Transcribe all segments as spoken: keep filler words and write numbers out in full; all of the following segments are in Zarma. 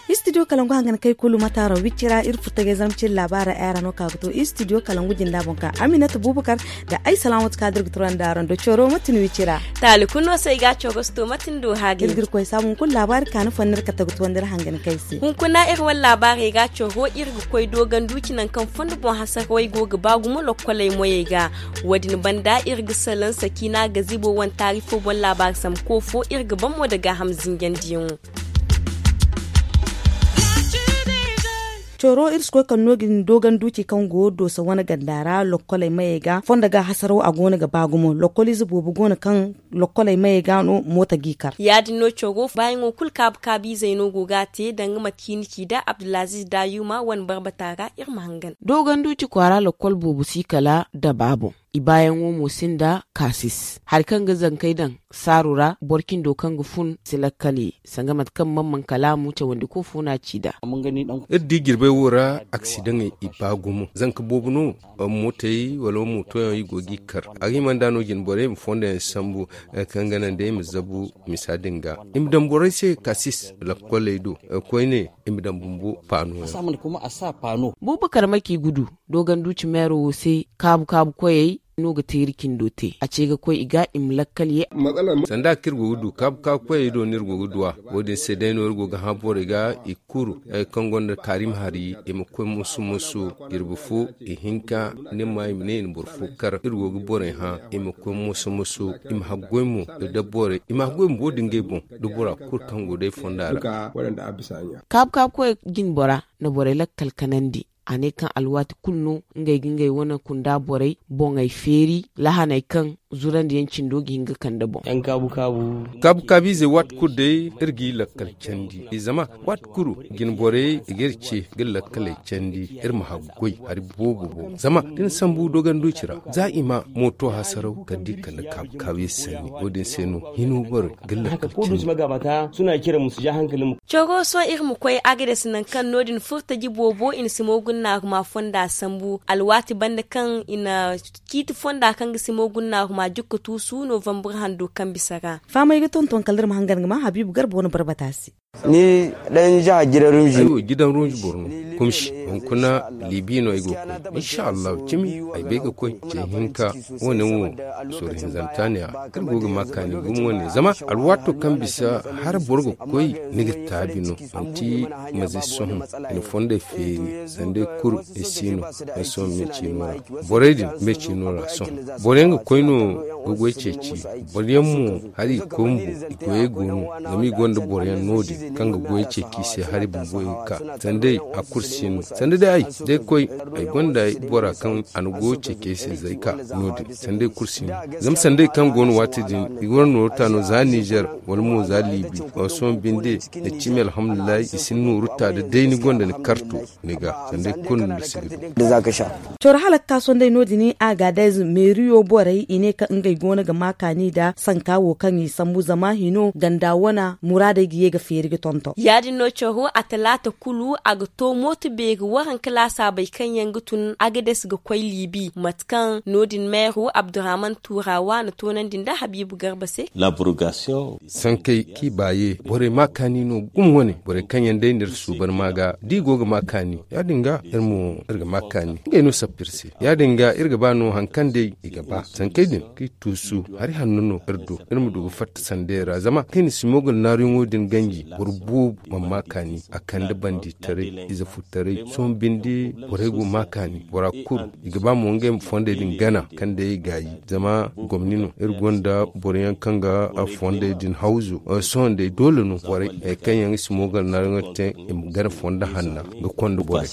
Istidiyo kalangu hangan kay kulu mataaro wicci ra iri furtagay zarma ciri laabaara ay ra no ka ga to istidiyo kalangu jinda boŋ ka aminata bubakar da ay salaamatu kadir ga turaŋ da araŋ do coro matin wicci ra. Taali kulu no se ay ga coro si to matin do haagay iri ga iri koy saabu hunkuna laabaari kaani fo no iri kate ga tuwandi iri hangan kay se hunkuna iri wane laabaarey ga coro iri ga koy dooganduuci nangu kaŋ fondo boŋ hasarawey go ga ba gumo lokkoley moyey ga. Wo- din banda iri ga salaŋ sakiina gazibo wane taari fo boŋ laabaari samko fo iri ga ban mo nda gaaham zinjandiyaŋo. Coro iri si koy kaŋ no ga ni dooganduuci kaŋ go doosa wane ganda ra lokkoley mayey ga fondo ga hasaraw a go no ga ba gumo lokkoliize boobo go no kaŋ lokkoley mayey ga no moota g'i kar ya- din no coro baayaŋo kulu kaabu kaabiizey no go ga a te danga mate kaŋ i na ci nd'a abdulaziiz daayuma wane barbata ra iri ma hangan. Dooganduuci kwaara lokkol boobo si kala daba boŋ. I baayaŋo mo sinda kaasis hari kaŋ ga zankey daŋ saaru ra boro cindo kaŋ ga fun si lakkal ye sanga mate kaŋ man man kalaamu cawandiko fo no a ci nd'a. Iri di jirbey wo ra aksidaŋey i ba gumo zanka boobo no mootey wala mootoyaŋ i go g'i kar a ga hima nd'a no jine borey ma fondo yaŋ sambu kaŋ ga naŋ day i ma zabu misa din ga i ma daŋ borey se kaasis lakkoley do koyne i ma daŋ bumbo paano yaŋ. Bubakar maki gudu dooganduuci meero wo se kaabu kaabu koyey no ga teeri cindo te a ce ga koy i ga i ma lakkal ye. Sanda kaŋ iri go ga du kaabu kaabu koyey do no iri go ga du a wo- din se day no iri go ga hã borey ga i kulu kaŋ gonda kaarim hari i ma koy moso moso jirbi fo ihinka ni ma i ma ne i na boro fo kar iri go ga borey hã i ma koy moso moso i ma haggoy mo da borey i ma haggoy mo wo- din ngey boŋ da bora kulu kaŋ go day fonda ra. Kaabu kaabu koy jine bora na borey lakkal kanandi a ne kaŋ alwaati kulu no ngey ga ngey wane kunda borey boŋey feeri lahaney kaŋ zurandiyaŋ cindo ga hin ga kande boŋ. Kaabu kaabiizey waati kulu day iri g'i lakkal candi zama waati kulu jine borey i ga iri ce ga lakkaley candi iri ma haggoy hari boobo boŋ zama da ni sambu dooganduuci ra za i ma mooto hasaraw kala da i kande kaabu kaabiizey sanni wo- din se no hino borey ga lakkal candi. Coro sohõ iri ma koy agades nangu kaŋ no- din furtaji boobo i na simo gunnaaruma fonda sambu alwaati banda kaŋ i na ciiti fonda kaŋ ga simo gunnaaruma jukka tuusu novambur hando kaŋ bisa ra. Fahamay ga tonton kala iri ma hangan ga ma habiibu garba wane barbata se. Ni daŋ jaha gidan runji. Ay wo gidan runji boro no kumsi hunkuna libi no ay go ga koy insha allahu cimi ay bay ga koy ce hinka. Wo- ne wo soro hinzanta ne a kaŋ go ga ma kaani gumo wane zama alwaato kaŋ bisa har boro ga koy ni ga taabi no manti maze sohõ i na fondey feeri sanda ay kuru ay si no ay sohõ me ciino ra. Borey din me ciino ra sohõ boro yaŋ ga koy no ga goy ceeci boro yaŋ mo hari i koy bumbo i goyey go no zama i gonda boro yaŋ no- din kaŋ ga goy ceeci i se hari bumbo i ga ka sanda ay a kulu si no sanda day ay da ay koy ay gonda ay bora kaŋ a na goy ceeci ay se zayka no- din sanda ay kulu si no zama sanda ay kaŋ go no waati din i ga war nooro ta no za nizer wala mo za libi wala sohõ binde ay cimi alhamdulillahi i si ni nooru ta da day ni gonda ni karto ni ga sanda ay kulu ni si ga du. Coro hala ga ka sohõ day no- din a ga day meeriyo borey i ne kaŋ ngey go no ga ma kaani nda sanka wo kaŋ i sambu zama hino ganda wana muraadey ga ye ga feeri ga tonton ya- din no coro a talaata kulu a ga to mooto beeri waranka laasaabey kaŋ yaŋ ga tun agades ga koy liibi mate kaŋ no- din meero abdurrahman tuurawa na toonandi nda habiibu garba se. Sankey kaŋ i baaye borey ma kaani no gumo wane borey kaŋ yaŋ day no iri suuban ma ga da i go ga ma kaani ya- din ga iri mo iri ga ma kaani ngey no sappa iri se ya- din ga iri ga ba no hari kaŋ day i ga ba sankey din kaŋ i tuusu hari hanno no iri do iri ma du ga fatta sandey ra zama kaŋ i na simo ga naaruyaŋo din ganji boro boobo mana ma kaani a kande banditaray ize furtaray sohõ binde borey go ma kaani bora kulu i ga ba mo ngey ma fondey din gana kaŋ day i gaayi zama gomni no iri gonda boro yaŋ kaŋ ga fondey din hawzu sohõ day doole no borey hari kaŋ yaŋ ga simo ga naaruyaŋo te i ma gana fondo hanna ga konda borey.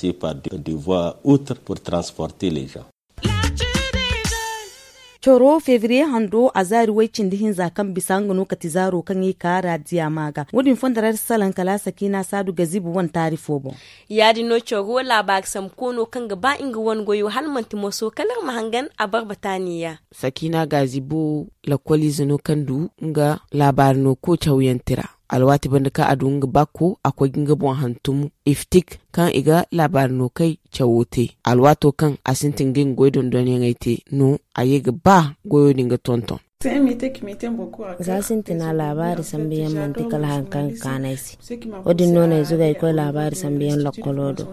Coro febriye hando a zaari way cindi hinza kaŋ bisa nga no kati zaaro kaŋ i ka ra diya ma ga wo- din fondo ra iri salaŋ kala sakiina saadu gazibu wane taari fo boŋ. Ya- din no coro laabaari sambu koono kaŋ ga ba nga wane goyo hala manti moso kala iri ma hangan a barbata neeya. Sakiina gazibu lakkoliize no kaŋ du nga laabaari no koocaw yaŋ tira. Alwaati banda kaŋ a du nga baako, a koy ga nga boŋ hantum iftik, kaŋ i ga laabaari no kay cawo te. Alwaato kaŋ a sintin ga nga goy dondonyaŋey te no, a ye ga ba goyo din ga tonton. Za sintina laabaari sambu yaŋ manti kala hari kaŋ ga kaanu ay se. Wo- din no no ay zuga ay koy laabaari sambu yaŋ lokkolo do.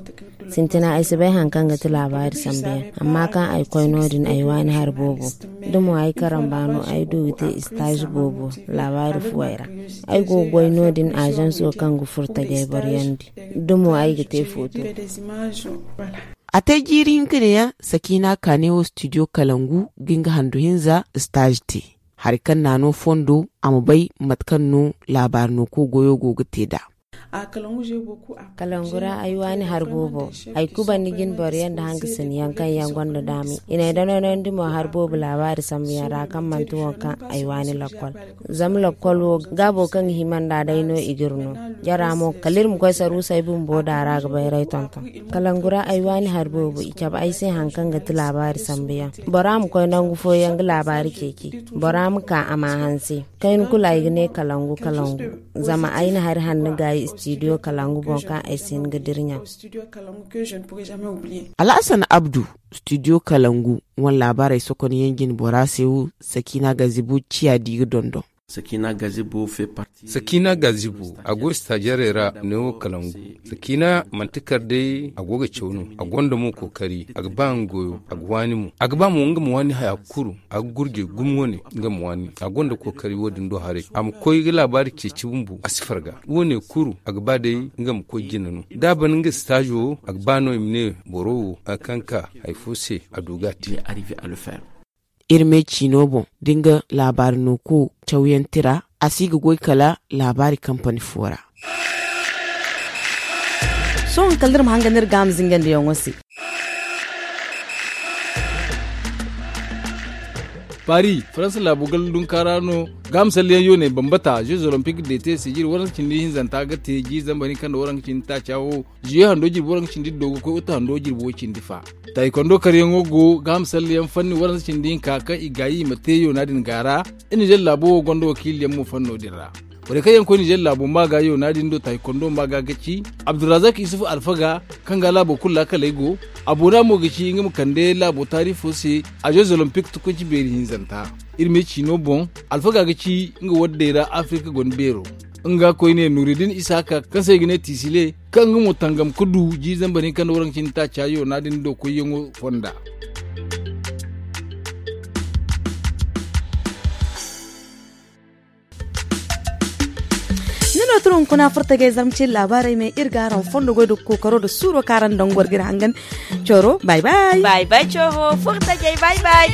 Sintina ay si bay hari kaŋ ga ti laabaari sambu yaŋ, amma kaŋ ay koy no- din ay waani hari boobo. Da mo ay karamba no ay du ga te istaazi boobo laabaari fuwey ra. Ay go ga goy no- din aazanso kaŋ ga furo tajay boro yaŋ di. Da mo ay ga te footo. A te jiiri hinka neeyaŋ, sakiina ka ne wo studio kalangu ga nga handu hinza istaazi te. Hari kaŋ naano fondo a ma bay mate kaŋ no laabaari no ko goyo go ga te nd'a. Kalangu ra ay waani hari boobo. Ay kubandi jine boro yaŋ nda hangasiniyaŋ kaŋ yaŋ gonda daami i na ay danonandi mo hari boobo laabaari sambu yaŋ ra kaŋ manti wo kaŋ ay waani lakkol. Zama lakkol wo gaabo kaŋ ga hima nd'a day no i g'iri no. Jara mo kala iri ma koy saruusay bumbo da ra ga bayray tonton. Kalangu ra ay waani hari boobo i cabe ay se hari kaŋ ga ti laabaari sambu yaŋ. Bora ma koy nangu fooyaŋ ga laabaari ceeci. Bora ma ka a ma hanse. Kayna kulu ay ga ne kalangu kalangu. Zama ay na hari hanno gaayi istidiyo kalangu boŋ kaŋ ay si hin ga dira ɲa. Alhasan abdu, studio kalangu wane laabaarey sokonyaŋ jine bora se wo. Sakiina gazibo ciya di ga dondon. Sakiina gazibo a go istaajarey ra neewo kalangu. Sakiina manti kar day a go ga caw no. A gonda mo kookari a ga ba nga goyo a ga waani mo a ga ba mo nga ma waani haya kulu. A ga gurjey gumo wane nga ma waani. A gonda kookari wo- din do haray a ma koy ga laabaari ceeci bumbo a si farga. Wo- ne kulu a ga ba day nga ma koy jina no da a ban nga istaazo a ga ba no i ma ne boro wo hari kaŋ ka hari fo se a du ga a te. Iri me ciino boŋ da nga laabaari no ko cawyaŋ tira a si ga goy kala laabaari kampani fo ra. Sohõ kala iri ma hanga no iri ga a ma zingandiyaŋo se. Paris faransa laabo gala dunka ra no. Ga a ma salliyaŋ yooney bambata jeux olympique de te se jiiri waranka cindi hinzanta ga te jiiri zambar hinka nda waranka cindi taaca wo. Juye hando jirbi waranka cindi do ga koy uta hando jirbi wo cindi fa. Taekwondo karyaŋo go ga a ma salliyaŋ fanni waranka cindi hinka kaŋ i gaayi i ma te yoona din ga ra. Nizer laabo wo gonda wakiiliyaŋ mo fanno din ra. Borey kaŋ yaŋ koy nizer laabo maaga yoona din do taekwondo maaga ga ci abdulrazak isufu alfaga, kaŋ ga laabo kulu laakaley go. Aboona mo ga ci nga ma kande laabo taarifo se. A jeux olympique tukunci beeri hinzanta. Iri me ciino boŋ alfaga ga ci nga waddey ra afirka gonda beero. Nga koyne nuridin isaka kaŋ se i ga ne tisile, kaŋ nga mo tangam ga du jiiri zambar hinka nda waranka cindi taaca yoona din do koyyaŋo fonda. Ni no tun hunkuna furtajey zarma ciine laabaarey me iri ga araŋ fondo goy da kookaro da suuro kaŋ araŋ daŋ goro ga iri hangan. Coro bay bay. Bay bay coro furtajey bay bay.